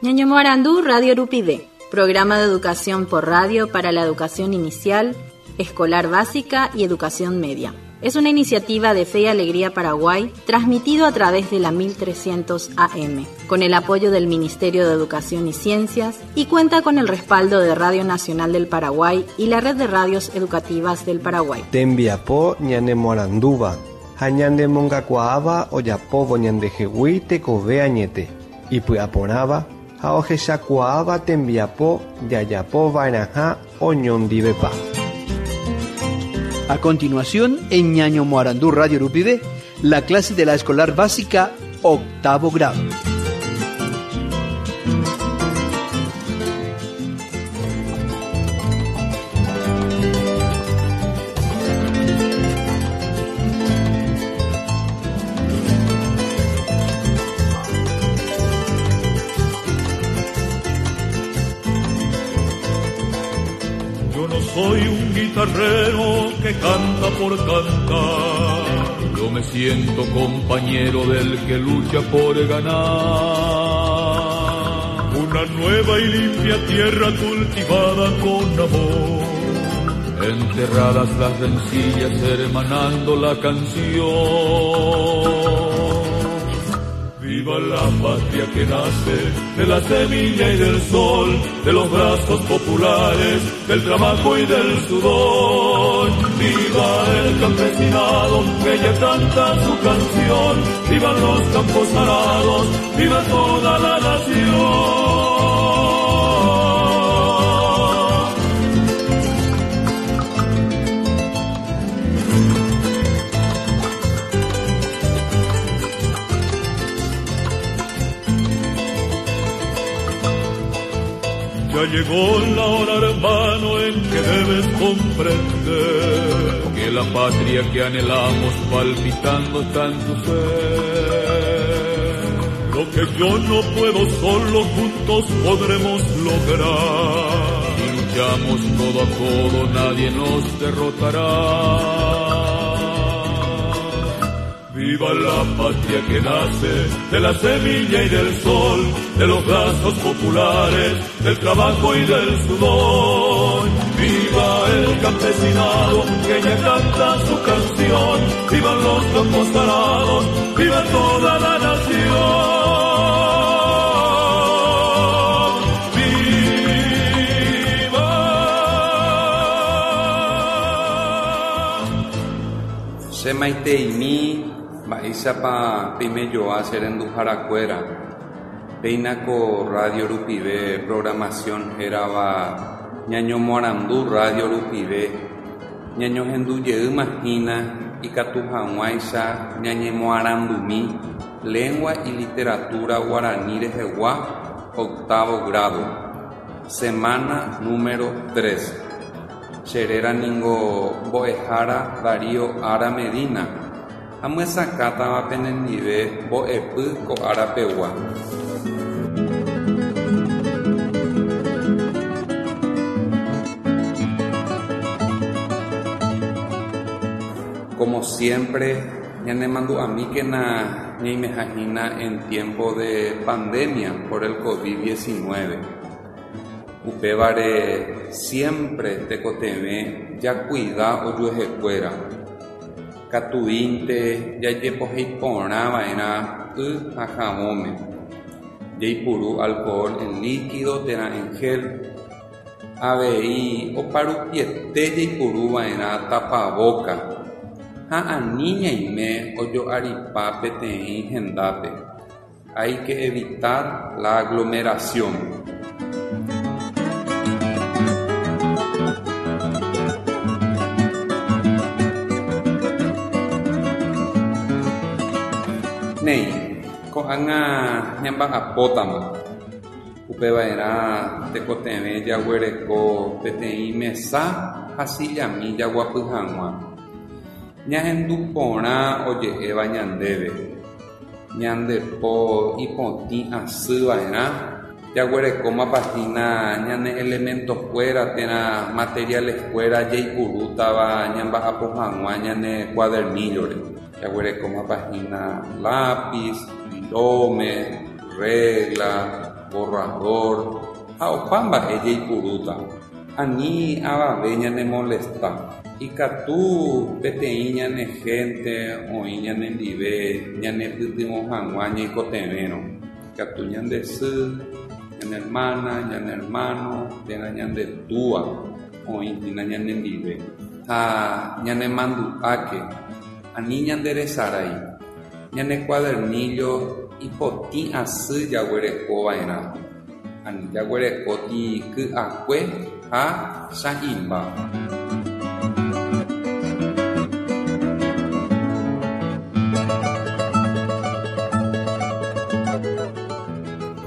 Ñañomoarandu Radio Rupive, programa de educación por radio para la educación inicial, escolar básica y educación media. Es una iniciativa de Fe y Alegría Paraguay, transmitido a través de la 1300 AM, con el apoyo del Ministerio de Educación y Ciencias y cuenta con el respaldo de Radio Nacional del Paraguay y la Red de Radios Educativas del Paraguay. Tembiapo ñanemoarandúva ha ñanemongakuaáva ojapóvo ñandehegui tekove añete, ipy'aporãva ha ohechakuaáva tembiapo jajapova'erãha oñondivepa. A continuación, en Ñañomoarandú Radio Rupive, la clase de la escolar básica octavo grado. Yo no soy un guitarrero que canta por cantar. Yo me siento compañero del que lucha por ganar. Una nueva y limpia tierra cultivada con amor. Enterradas las rencillas, hermanando la canción. Viva la patria que nace de la semilla y del sol, de los brazos populares, del trabajo y del sudor. Viva el campesinado que ya canta su canción, vivan los campos arados, viva toda la nación. Ya llegó la hora, hermano, en que debes comprender que la patria que anhelamos palpitando está en tu ser. Lo que yo no puedo solo, juntos podremos lograr. Si luchamos codo a codo, nadie nos derrotará. Viva la patria que nace de la semilla y del sol, de los brazos populares, del trabajo y del sudor. Viva el campesinado que ya canta su canción, vivan los campos arados, viva toda la nación. ¡Viva! Che maiteimi mba'éichapa peimejoa che renduharakuéra. Péina ko radio rupive programación hérava Ñañomoarandu Radio rupive ñañohendujeýma hína ikatu hag̃uáicha ñañemoarandumi Lengua y Literatura Guarani rehegua octavo grado, semana número tres. Che réra ningo Mbo'ehára Darío Ara Medina. Amyesakãtava penendive mbo'epy ko ára pegua. Como siempre, ñanemandu'amíkena ñaimeha hína en tiempo de pandemia por el covid 19. Upévare siempre tekotevẽ jakuida ojuehekuéra. Katuínte jajepohéi porã va'erã y ha havõme. Jaipuru alcohol en líquido térã en gel. Avei oparupiete jaipuru va'erã tapavóka ha ani ñaime ojo'aripa peteĩ hendápe. Hay que evitar la aglomeración. Néi, ko'ág̃a ñamba'apótama. Upeva'erã tekotevẽ jaguereko peteĩ mesa ha sillami jaguapy hag̃ua. Ñahendu porã oje'éva ñandéve. Ñande po ipotĩ asy va'erã, jaguerekómapa hína ñane elementokuéra térã materialeskuéra jaipurútava ñamba'apo hag̃ua ñane cuadernillo-re. Jaguerekómapa hína lápiz, virome, regla. borrador ha opa mba'e jaipurúta. Ani avave ñanemolesta. Ikatu peteĩ ñane hénte oĩ ñanendive ñanepytyvõ hag̃ua ñaikotevẽrõ. Ikatu ñande sy, ñane hermana, ñane hermano térã ñande túa oĩ hína ñanendive. Ha ñanemandu'áke, ani ñanderesarái, ñane cuadernillo ipotĩ asy jaguerekova'erã. Ani jaguerekóti ky'akue ha cha'imba.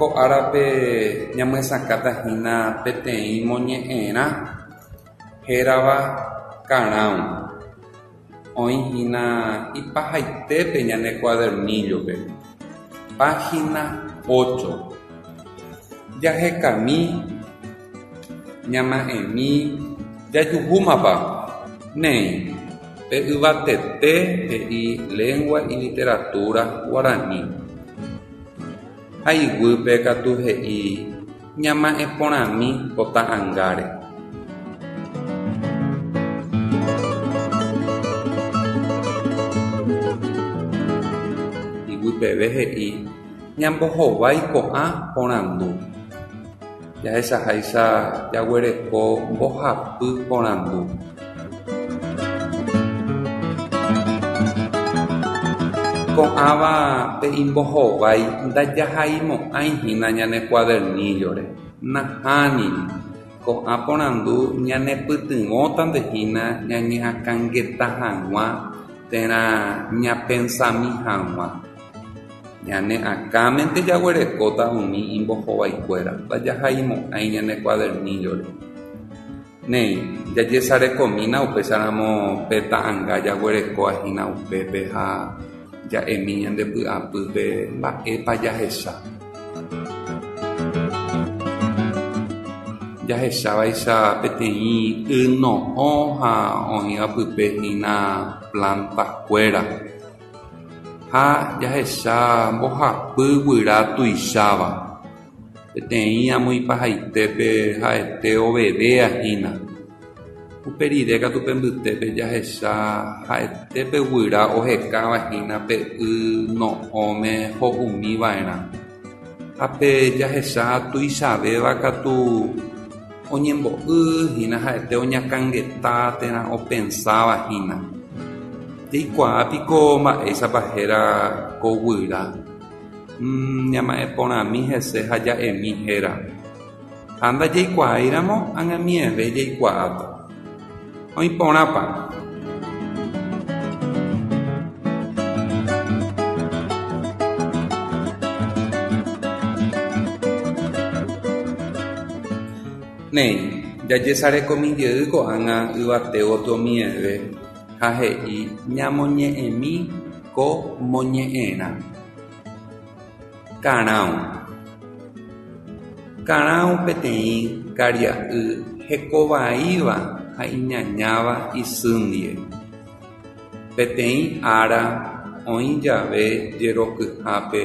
Ko árape ñamyesakãta hína peteĩ moñe'ẽrã hérava Karãu. Oĩ hína ipahaitépe ñane cuadernillo-pe. Página 8. Jahekami, ñama'ẽmi, jajuhúmapa. Néi, pe yvatete he'i Lengua y Literatura Guarani. Ha iguýpe katu he'i ñama'ẽporãmi ko ta'ãngáre. Iguypeve he'i ñambohovái ko'ã porandu. Jahechaháicha jaguereko mbohapy porandu. Ko'ãva pe imbohovái ndajahaimo'ãi hína ñane cuadernillo-re. Nahániri. Ko'ã porandu ñanepytyvõtante hína ñañeakãngeta hag̃ua térã ñapensami hag̃ua. Ñane akãmente jaguerekóta umi imbohovaikuéra, ndajahaimo'ãi ñane cuadernillo-re. Néi, jajesarekomína upéicharamo pe ta'anga jaguerekóva hína upépe ha ja'emi ñande py'apýpe mba'épa jahecha. Jahechávaicha peteĩ y no'õ ha oĩva pype hína planta-kuéra. Ha jahecha mbohapy guyra tuicháva. Peteĩ amo ipahaitépe ha'ete ovevéa hína. Upe rire katu pe mbytépe jahecha ha'ete pe guyra ohekáva hína pe y no'õme ho'umi va'erã. Ha pe jahecha tuichavéva katu oñembo'y hína ha'ete oñakãngeta térã opensáva hína. Jaikuaa piko mba'éichapa héra ko guyra. Ñama'ẽporãmi hese ha ja'emi héra. Ha ndajaikuaáiramo ag̃amieve jaikuaáta. Oĩporãpa. Néi, jajesarekomi jey ko'ág̃a yvate gotyo mieve ha he'i ñamoñe'ẽmi ko moñe'ẽrã. Karãu. Karãu peteĩ karia'y hekovaíva ha iñañáva isy ndive. Peteĩ ára oĩ jave jerokyhápe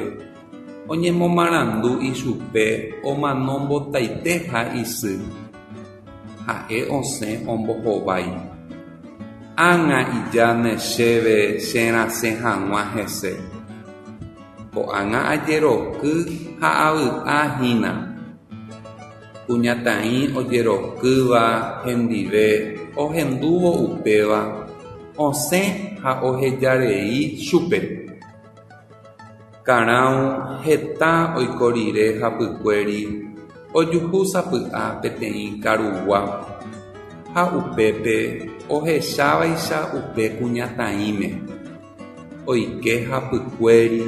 oñemomarandu ichupe omanombotaiteha isy. Ha'e osẽ ombohovái. Ág̃a ijáne chéve cherasẽ hag̃ua hese. Ko'ág̃a ajeroky ha avy'ahína. Kuñataĩ ojerokýva hendive ohendúvo upéva osẽ ha ohejarei chupe. Karãu heta oiko rire hapykuéri ojuhúsapy'a peteĩ karugua ha upépe ohechávaicha upe kuñataĩme. Oike hapykuéri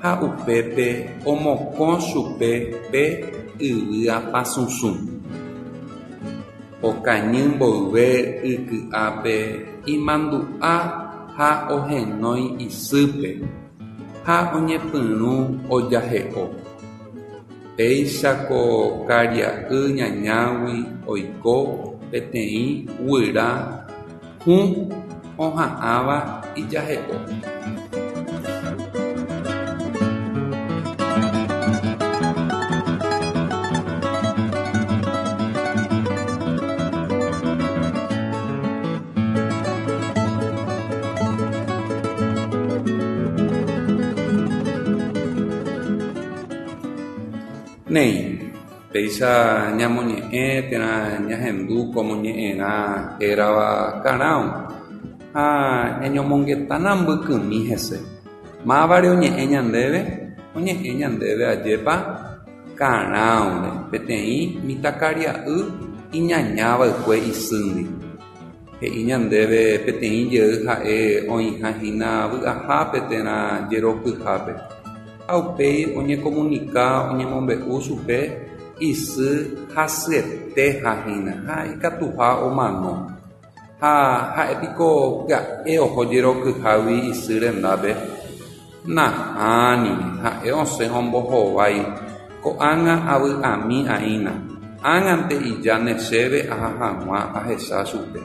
ha upépe omokõ chupe pe yvyapasũsũ. Okañy mboyve yky'ápe imandu'a ha ohenói isýpe ha oñepyrũ ojahe'o. Péicha ko karia'y ñañágui oiko peteĩ guyra hũ oha'ãva ijahe'o. Néi, péicha ñamoñe'ẽ térã ñahendu ko moñe'ẽrã hérava Karão ha ñañomongetána mbykymi hese. Mávare oñe'ẽ ñandéve? Oñe'ẽ ñandéve ajépa Karãure, peteĩ mitãkaria'y iñañava'ekue isýndi. He'i ñandéve peteĩ jey ha'e oĩha hína vy'ahápe térã jerokyhápe. Ha upéi oñekomunika oñemombe'u chupe isy hasyetéha hína ha ikatuha omano. Ha ha'épiko pya'e oho jerokyhágui isy rendápe? Nahániri, ha'e osẽ ombohovái, Ko'ág̃a avy'ami aína, ág̃ante ijáne chéve aha hag̃ua ahecha chupe.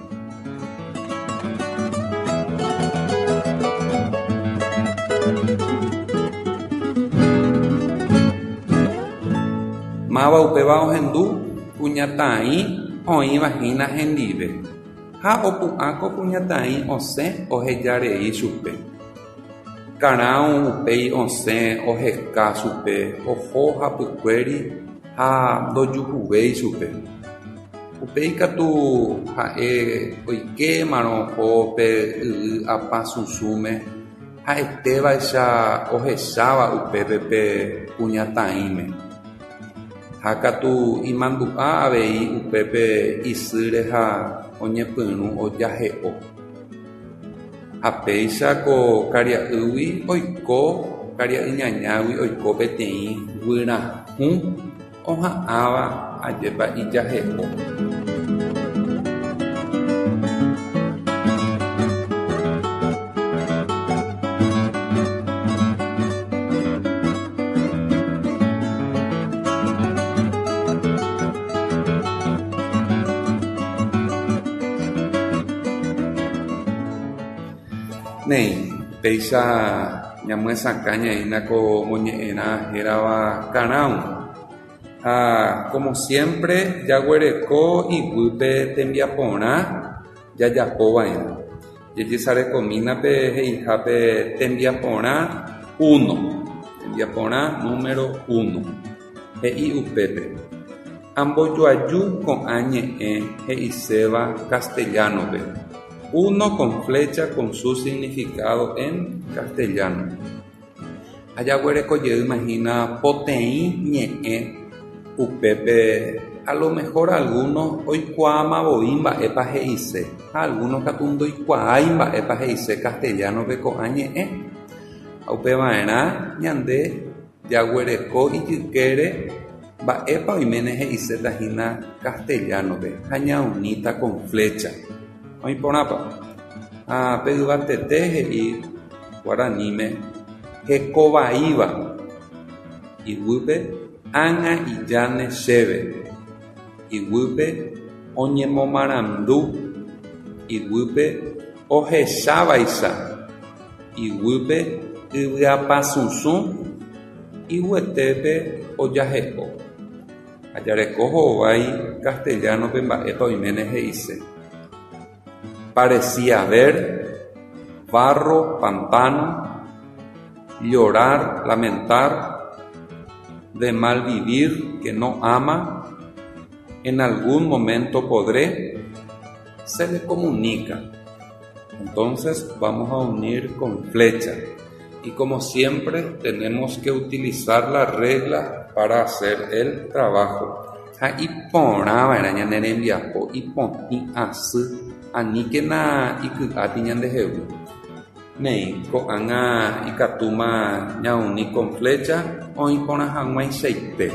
Máva upéva ohendu kuñataĩ oĩva hína hendive, ha opu'ã ko kuñataĩ osẽ ohejarei chupe. Karão upéi osẽ oheka chupe oho hapykuéri ha ndojuhuvéi chupe. Upéi katu ha'e oikémarõ oho pe yvy apasusũme ha'etévaicha ohecháva upépe pe kuñataĩme. Ha katu imandu'a avei upépe isýre ha oñepyrũ ojahe'o. Ha péicha ko karia'ýgui oiko karia'y ñañágui oiko peteĩ guyra hũ oha'ãva ajépa ijahe'o. Néi, péicha ñamyesakã ñaína ko moñe'ẽrã hérava Karão. Ha como siempre jaguereko iguýpe tembiaporã jajapova'erã. Jejesarekomína pe he'ihápe tembiaporã uno, tembiaporã número uno. He'i upépe, Ambojoaju ko'ã ñe'ẽ he'iséva castellano-pe, uno con flecha con su significado en castellano. Ha jaguereko jeýma hína poteĩ ñe'ẽ upépe a lo mejor alguno oikuaáma voi mba'épa he'ise ha alguno katu ndoikuaái mba'épa he'ise castellano-pe ko'ã ñe'ẽ. Ha upeva'erã ñande jaguereko ijykére mba'épa oiméne he'iséta hína castellano-pe ha ñaunita con flecha. Oĩ porãpa. Ha pe yvatete he'i guaraníme hekovaíva iguýpe ág̃a ijáne chéve, iguýpe oñemomarandu, iguýpe ohechávaicha, iguýpe yvyapasusũ, iguyetépe ojahe'o. Ha jareko hovái castellano-pe mba'épa oiméne he'ise. Parecía ver, barro, pantano, llorar, lamentar, de mal vivir que no ama, en algún momento podré, se le comunica. Entonces vamos a unir con flecha. Y como siempre tenemos que utilizar la regla para hacer el trabajo. Ha iporãva'erã ñane rembiapo ipotĩ asy aníkena iky'áti ñandehegui. Néi, ko'ág̃a ikatúma ñauni con flecha oĩ porã hag̃uaichaite.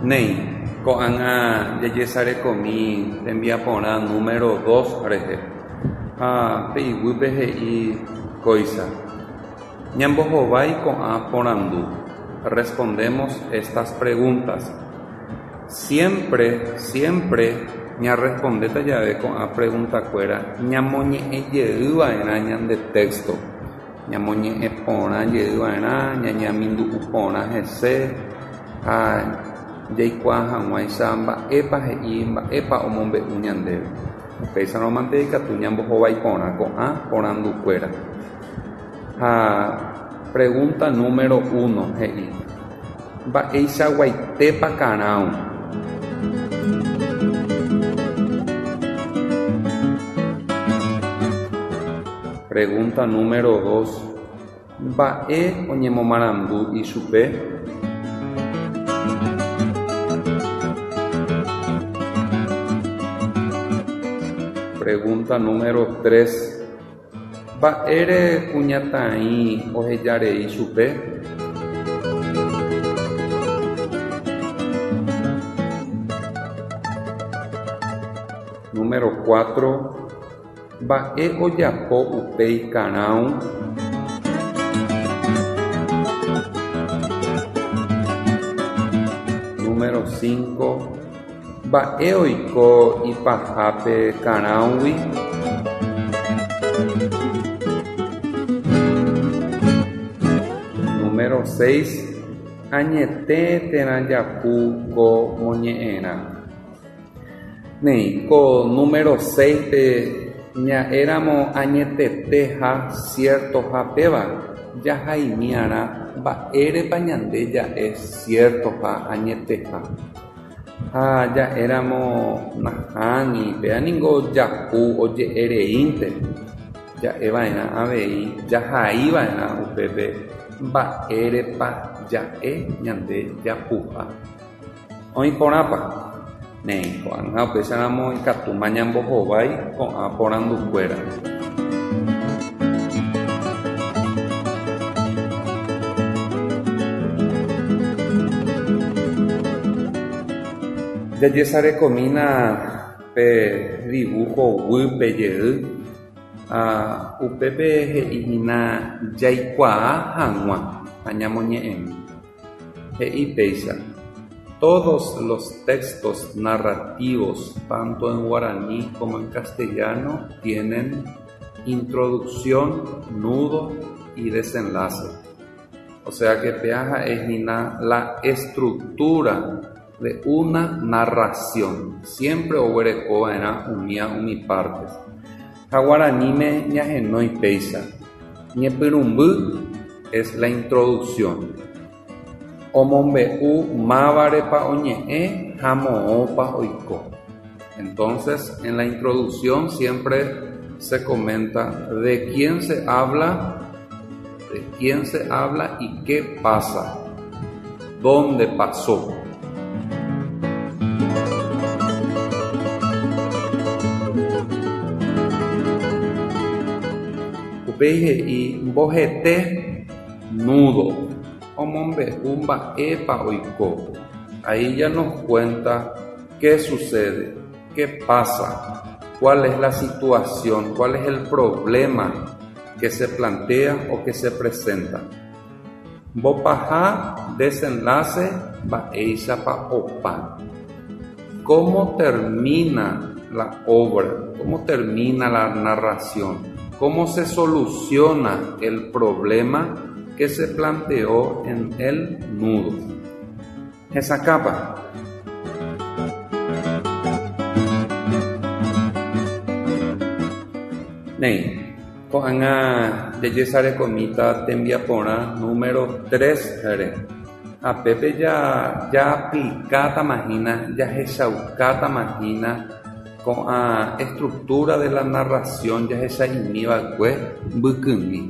Néi, ko'ág̃a jajesarekomi tembiaporã número dos rehe. Ha pe iguýpe he'i kóicha, Ñambohovái ko'ã porandu. Respondemos estas preguntas. Siempre, siempre ñarrespondéta jave ko'ã preguntakuéra ñamoñe'ẽjeyva'erã ñande texto. Ñamoñe'ẽ porã jeyva'erã, ñañamindu'u porã hese ha jaikuaa hag̃uáicha mba'épa he'i, mba'épa omombe'u ñandéve. Upéicharõmante ikatu ñambohovái porã ko'ã porandukuéra. Ha pregunta número 1 he'i: Mba'eichaguaitépa Karãu? Pregunta número 2 Mba'e oñemomarandu ichupe? Pregunta número 3 Mba'ére kuñataĩ ohejarei chupe? Número 4 Mba'e ojapo upéi Karãu? Número 5 Mba'e oiko ipahápe Karãugui? Número 6 Añete térã japu ko moñe'ẽrã. Néi, ko número 6-pe ña'éramo añetete ha ciertoha péva, jahaimi'arã mba'érepa ñande ja'e ciertoha añeteha. Ha ja'éramo nahániri, péva ningo japu oje'ereínte, ja'eva'erã avei jahaiva'erã upépe mba'érepa ja'e ñande japuha. Oĩ porãpa? Néi, ko'ág̃a upéicharamo ikatúma ñambohovái ko'ã porandukuéra. Jajesarekomína pe dibujo guýpe jey ha upépe he'ihína jaikuaa hag̃ua ha ñamoñe'ẽmi. He'i péicha, Todos los textos narrativos, tanto en guaraní como en castellano, tienen introducción, nudo y desenlace. O sea que péa ha'e hína la estructura de una narración. Siempre oguereko va'erã umía umi partes. Ha guaraníme ñahenói péicha, Ñepyrũmby es la introducción. Omombe'u mávarepa oñe'ẽ ha moõpa oiko. Entonces, en la introducción siempre se comenta de quién se habla, de quién se habla y qué pasa, dónde pasó. Upéi he'i mbohete, nudo, omombe'u mba'épa oiko. Ahí ya nos cuenta qué sucede, qué pasa, cuál es la situación, cuál es el problema que se plantea o que se presenta. Mbopaha, desenlace, mba'éichapa opa. ¿Cómo termina la obra? ¿Cómo termina la narración? ¿Cómo se soluciona el problema que se planteó en el nudo? Hesakãpa. Néi, ko'ág̃a jajesarekomíta tembiaporã número 3-re. Ha pépe jaaplikátama hína, jahechaukátama hína ko'ã estructura de la narración jahecha'imiva'ekue mbykymi.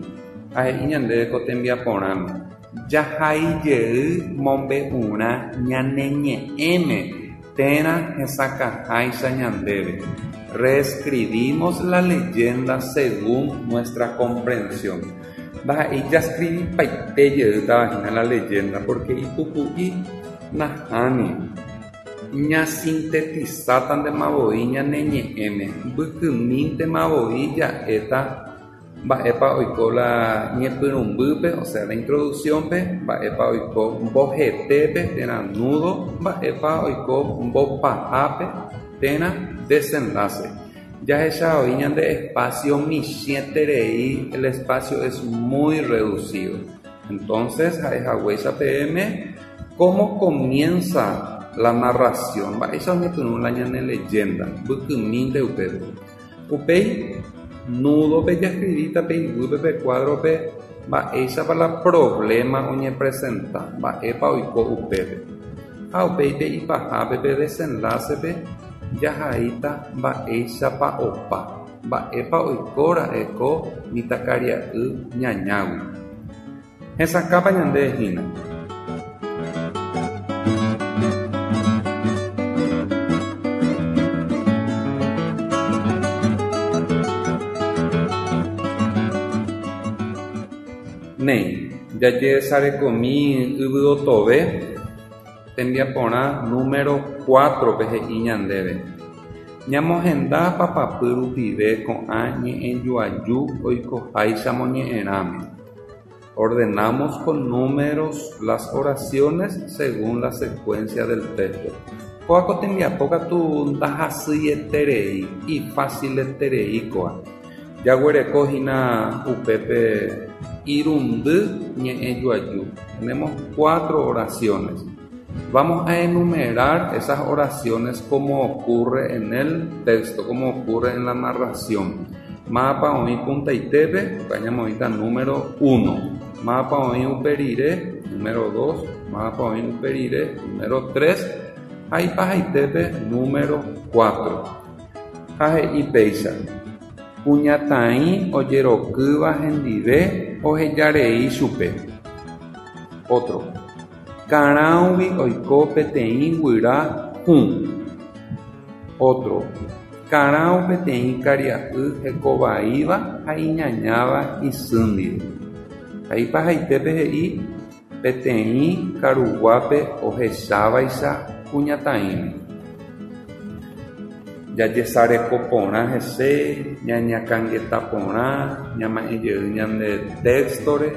Ha he'i ñandéve ko tembiaporãme, Jahai jey mombe'urã ñane ñe'ẽme térã hesakãháicha ñandéve. Reescribimos la leyenda según nuestra comprensión. Ndaha'éi jascribipaite jeýtava hína la leyenda porque ipuku'i nahániri. Ñasintetisátantema voi ñane ñe'ẽme, mbykymíntema voi ja'éta Mba'épa oiko la ñepyrũmbýpe, o sea, la introducción-pe, mba'épa oiko mbohetépe térã nudo, mba'épa oiko mbopahápe térã desenlace. Jahecha oĩ ñande espacio michĩeterei, el espacio es muy reducido. Entonces, ha'e haguéicha peẽme, cómo comienza la narración, mba'éicha oñepyrũ la ñane leyenda, mbykymínte upépe. Upéi nudo-pe jaescribíta pe iguýpe pe cuadro-pe mba'éichapa la problema oñepresenta, mba'épa oiko upépe. Ha upéi pe ipahápe pe desenlace-pe jahaíta mba'éichapa opa, mba'épa oikóra'e ko mitãkaria'y ñañágui. Hesakãpa ñande hína. Néi, jajesarekomi yvyotove tembiaporã número 4-pe he'i ñandéve. Ñamohenda papapy rupive ko'ã ñe'ẽjoaju oikoháicha moñe'ẽrãme. Ordenamos con números las oraciones según la secuencia del texto. Kóa ko tembiapo katu ndahasyieterei, ifácileterei kóa. Jaguereko hína upépe irundy ñe'ẽjoaju. Tenemos 4 oraciones. Vamos a enumerar esas oraciones como ocurre en el texto, como ocurre en la narración. Mapa oĩ puntaitépe, ñamoĩta número 1. Mapa oĩ uperire, número 2. Mapa oĩ uperire, número 3. Ha ipahaitépe, número 4. Ha he'i péicha. Kuñataĩ ojerokýva hendive ohejarei chupe. Otro. Karãugui oiko peteĩ guyra hũ. Otro. Karãu peteĩ karia'y hekovaíva ha iñañáva isy ndive. Ha ipahaitépe he'i peteĩ karuguápe ohechávaicha kuñataĩme. Jajesareko porã hese, ñañakãngeta porã, ñama'ẽjey ñande texto-re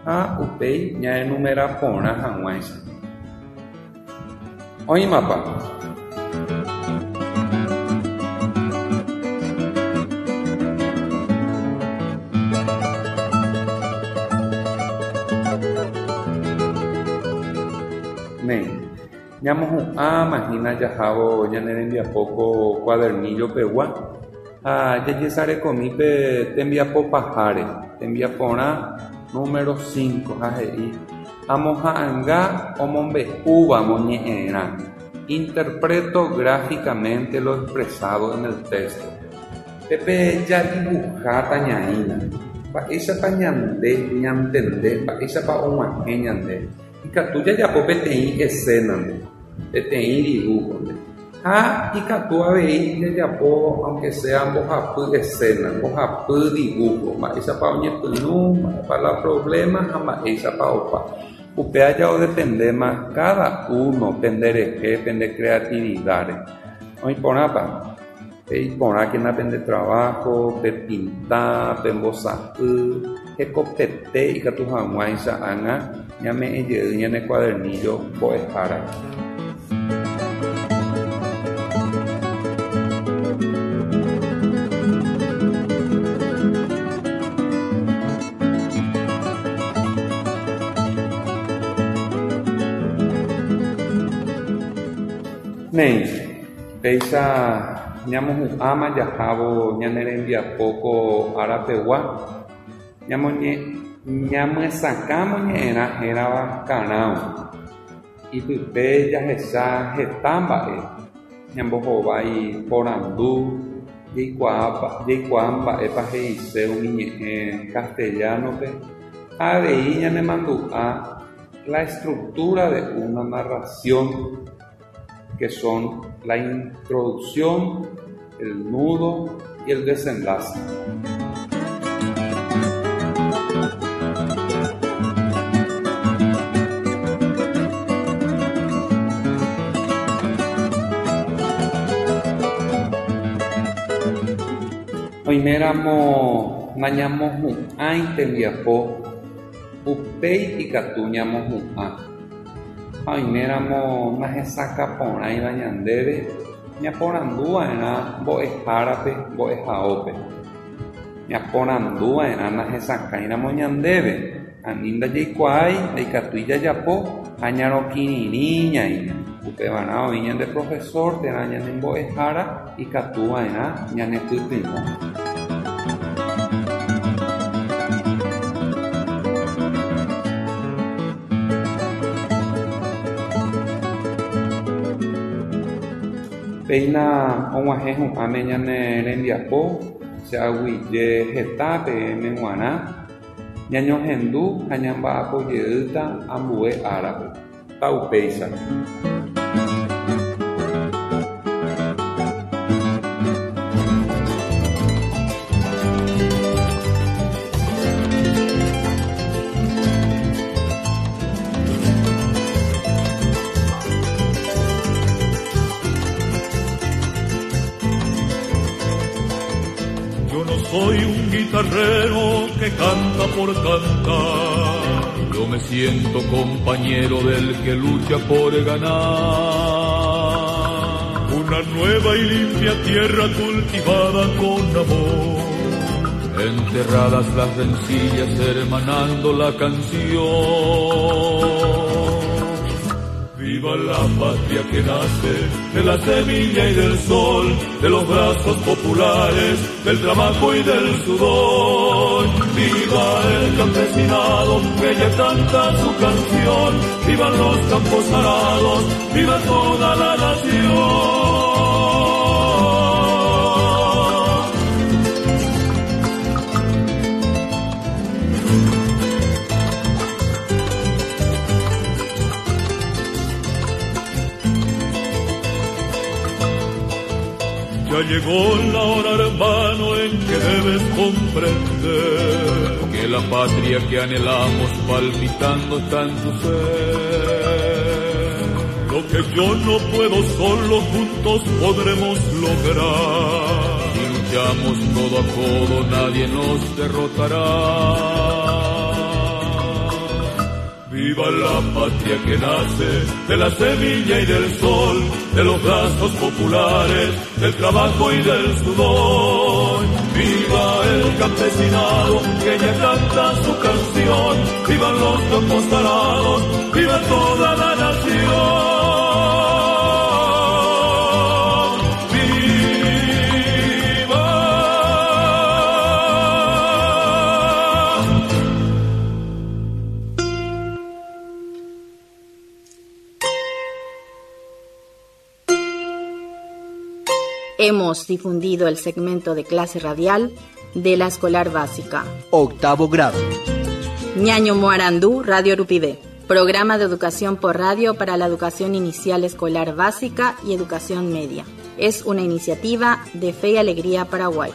ha upéi ñaenumera porã hag̃uáicha. Oĩmapa. Néi, ñamohu'ãma hína jahávo ñane rembiapo ko cuadernillo-pegua ha jajesarekomi pe tembiapo paháre, tembiaporã número 5 ha he'i amoha'ãnga omombe'úva moñe'ẽrã. Interpreto gráficamente lo expresado en el texto. Pépe jadibuháta ñaína. Mba'éichapa ñande ñantende, mba'éichapa og̃uahẽ ñande. Ikatu jajapo peteĩ escena-nde, peteĩ dibujo-nde. Ha ikatu avei jajapo aunque sea mbohapy escena, mbohapy dibujo, mba'éichapa oñepyrũ, mba'épa la problema ha mba'éichapa opa. Upéva ja odependéma cada uno penderehe, pende creatividad-re. Oĩporãpa? Peiporãkena pende trabajo, pepinta, pembosa'y, hekopete ikatu hag̃uáicha ág̃a ñame'ẽjey ñane cuadernillo mbo'ehára. Néi, péicha ñamohu'ãma jahávo ñane rembiapo ko árapegua, ñamyesakã moñe'ẽrã hérava Karãu. Ipype jahecha heta mba'e, ñambohovái porandu, jaikuaa mba'épa he'ise umi ñe'ẽ castellano-pe ha avei ñanemandu'a la estructura de una narración que son la introducción, el nudo y el desenlace. Oiméramo nañamohu'ãi tembiapo, upéi ikatu ñamohu'ã. Ha oiméramo nahesakãporãiva ñandéve, ñaporanduva'erã mbo'ehárape mbo'ehaópe. Ñaporanduva'erã nahesakãiramo ñandéve, ani ndajaikuaái ndaikatúi jajapo ha ñarokirirĩ ñaína. Upevarã oĩ ñande profesor térã ñane mbo'ehára ikatuva'erã ñanepytyvõ. Péina og̃uahẽ hu'ãme ñane rembiapo che aguyje heta peẽme g̃uarã ñañohendu ha ñamba'apo jeýta ambue árape. Taupéicha. Yo no soy un guitarrero que canta por cantar. Yo me siento compañero del que lucha por ganar. Una nueva y limpia tierra cultivada con amor. Enterradas las rencillas, hermanando la canción. Viva la patria que nace de la semilla y del sol, de los brazos populares, del trabajo y del sudor. Viva el campesinado que ya canta su canción, vivan los campos arados, viva toda la nación. Ya llegó la hora, hermano, en que debes comprender que la patria que anhelamos palpitando está en tu ser. Lo que yo no puedo solo, juntos podremos lograr. Si luchamos codo a codo, nadie nos derrotará. Viva la patria que nace de la semilla y del sol, de los brazos populares, del trabajo y del sudor. Viva el campesinado que ya canta su canción, vivan los campos arados, viva toda la nación. Hemos difundido el segmento de clase radial de la escolar básica. Octavo grado. Ñaño Moarandú, Radio Rupivé. Programa de educación por radio para la educación inicial escolar básica y educación media. Es una iniciativa de Fe y Alegría Paraguay.